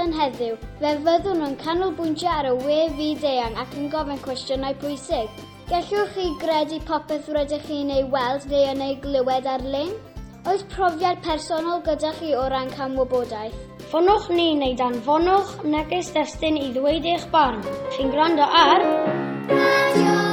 rhaglen heddiw, fe fyddwn yn canolbwyntio ar y we fyd-eang ac yn gofyn cwestiynau pwysig. Gellwch chi gredu popeth rydych chi'n ei weld neu yn ei glywed ar-lein? Oes profiad personol gyda chi o ran camwybodaeth? Ffonwch ni neu danfonwch neges destun i ddweud eich barn. Chi'n gwrando ar... Radio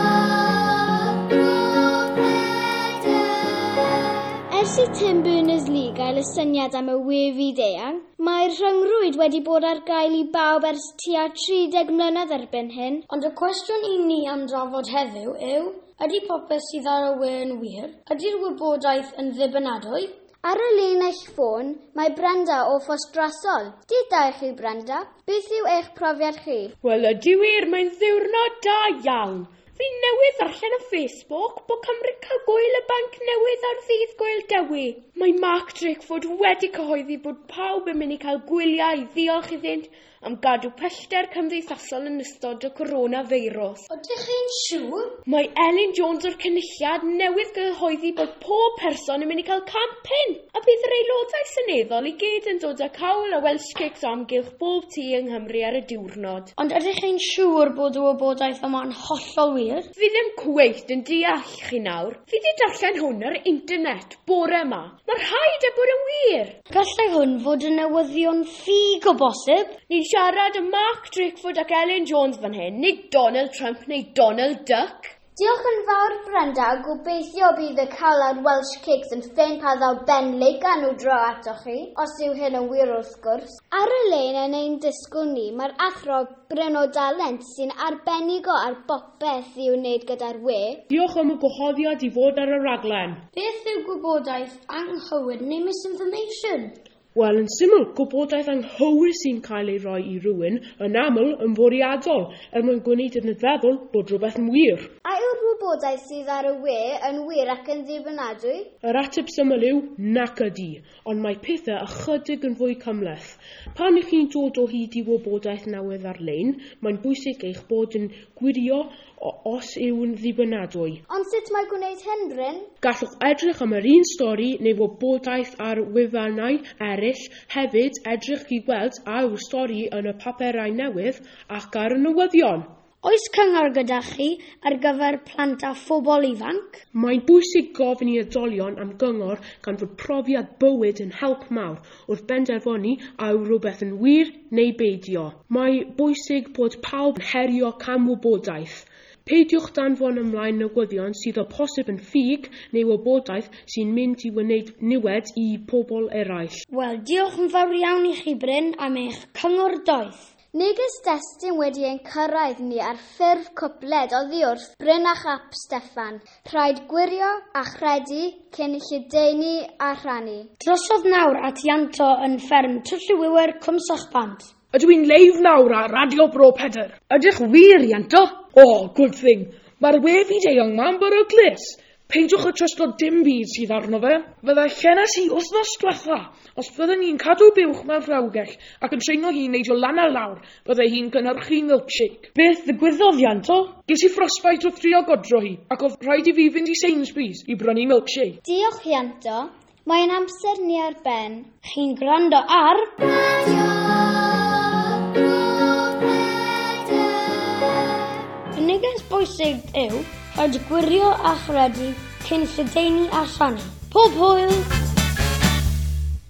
Ers i Tim Berners-Lee gael y syniad am y we fyd-eang, mae'r rhyngrwyd wedi bod ar gael i bawb ers tua 30 mlynedd erbyn hyn. Ond y cwestiwn i ni am drafod heddiw yw, ydy popeth sydd ar y we yn wir? Ydy'r wybodaeth yn ddibynadwy? Ar y linell ffôn, mae Brenda o Ffostrasol. Dydd da i chi, Brenda. Beth yw eich profiad chi? Wel, ydy wir, mae'n ddiwrnod da iawn. Fi newydd ddarllen ar Facebook bod Cymru'n cael gwyl y banc newydd ar ddydd Gwyl Dewi. Mae Mark Drakeford wedi cyhoeddi bod pawb yn mynd i cael gwyliau i ddiolch iddynt am gadw pellter cymdeithasol yn ystod y coronafeirws. Ydych chi'n siŵr? Mae Elin Jones o'r Cynulliad newydd gyhoeddi bod pob person yn mynd i cael 100 punt a bydd yr aelodau seneddol i gyd yn dod â cawl a Welsh cakes o amgylch bob tŷ yng Nghymru ar y diwrnod. Ond ydych chi'n siŵr bod y wybodaeth yma'n hollol wir? Fi ddim cweit yn deall chi nawr. Fi wedi darllen hwn ar internet bore yma. Mae rhaid e bod yn wir. Gallai hwn fod yn newyddion ffug o bosib. Ni'n siarad am Mark Drakeford ac Elin Jones fan hyn, nid Donald Trump neu Donald Duck. Diolch yn fawr, Brenda, a gobeithio bydd y cawl a'r Welsh Cakes yn ffein pan ddaw Ben Lake â nhw draw atoch chi, os yw hyn yn wir wrth gwrs. Ar y lein yn ein disgwyl ni, mae'r athro Bryn o Dalent sy'n arbenigo ar bopeth i'w wneud gyda'r we. Diolch am y gwahoddiad i fod ar y raglen. Beth yw gwybodaeth anghywir neu misinformation? Wel, yn syml, gwybodaeth anghywir sy'n cael ei roi i rywun yn aml yn fwriadol er mwyn gwneud yn feddwl bod rhywbeth yn wir. A yw'r wybodaeth sydd ar y we yn wir ac yn ddibynadwy? Yr ateb syml yw nac ydy, ond mae pethau ychydig yn fwy cymhleth. Pan ych chi'n dod o hyd i wybodaeth newydd ar-lein, mae'n bwysig eich bod yn gwirio os yw'n ddibynadwy. Ond sut mae gwneud hyn, Bryn? Gallwch edrych am yr un stori neu wybodaeth ar wefannau eraill, hefyd edrych i weld a yw'r stori yn y papurau newydd ac ar y newyddion. Oes cyngor gyda chi ar gyfer plant a phobl ifanc? Mae'n bwysig gofyn i oedolion am gyngor gan fod profiad bywyd yn help mawr wrth benderfynu a yw rhywbeth yn wir neu beidio. Mae bwysig bod pawb yn herio camwybodaeth. Peidiwch danfon ymlaen newyddion sydd o posib yn ffug neu wybodaeth sy'n mynd i wneud niwed i pobl eraill. Wel, diolch yn fawr iawn i chi, Bryn, am eich cyngor doeth. Neges destun wedi ein cyrraedd ni ar ffurf cwpled oddi wrth Bryn ap Steffan. Rhaid gwirio a chredu cyn lledaenu a rhannu. Drosodd nawr at Ianto yn fferm Twll y Wiwer, Cwmsychpant. Ydw i'n live nawr ar Radio Bro Pedr? Ydych wir, Ianto? Oh, good thing. Mae'r we fyd-eang ma'n beryglus. Peidiwch â trysto dim byd sydd arno fe. Fydda llenais i wythnos diwetha. Os bydden ni'n cadw buwch mewn rhewgell ac yn treino hi'n neidio lan a lawr, bydde hi'n cynhyrchu milkshake. Beth ddigwyddodd, Ianto? Ges i frostbite wrth drio godro hi, ac oedd rhaid i fi fynd i Sainsbury's i brynu milkshake. Diolch, Ianto. Mae'n amser ni ar ben. Chi'n gwrando ar... Radio Bro Pedr. Y neges bwysig yw, rhaid gwirio a chredu cyn lledaenu a rhannu. Pob hwyl!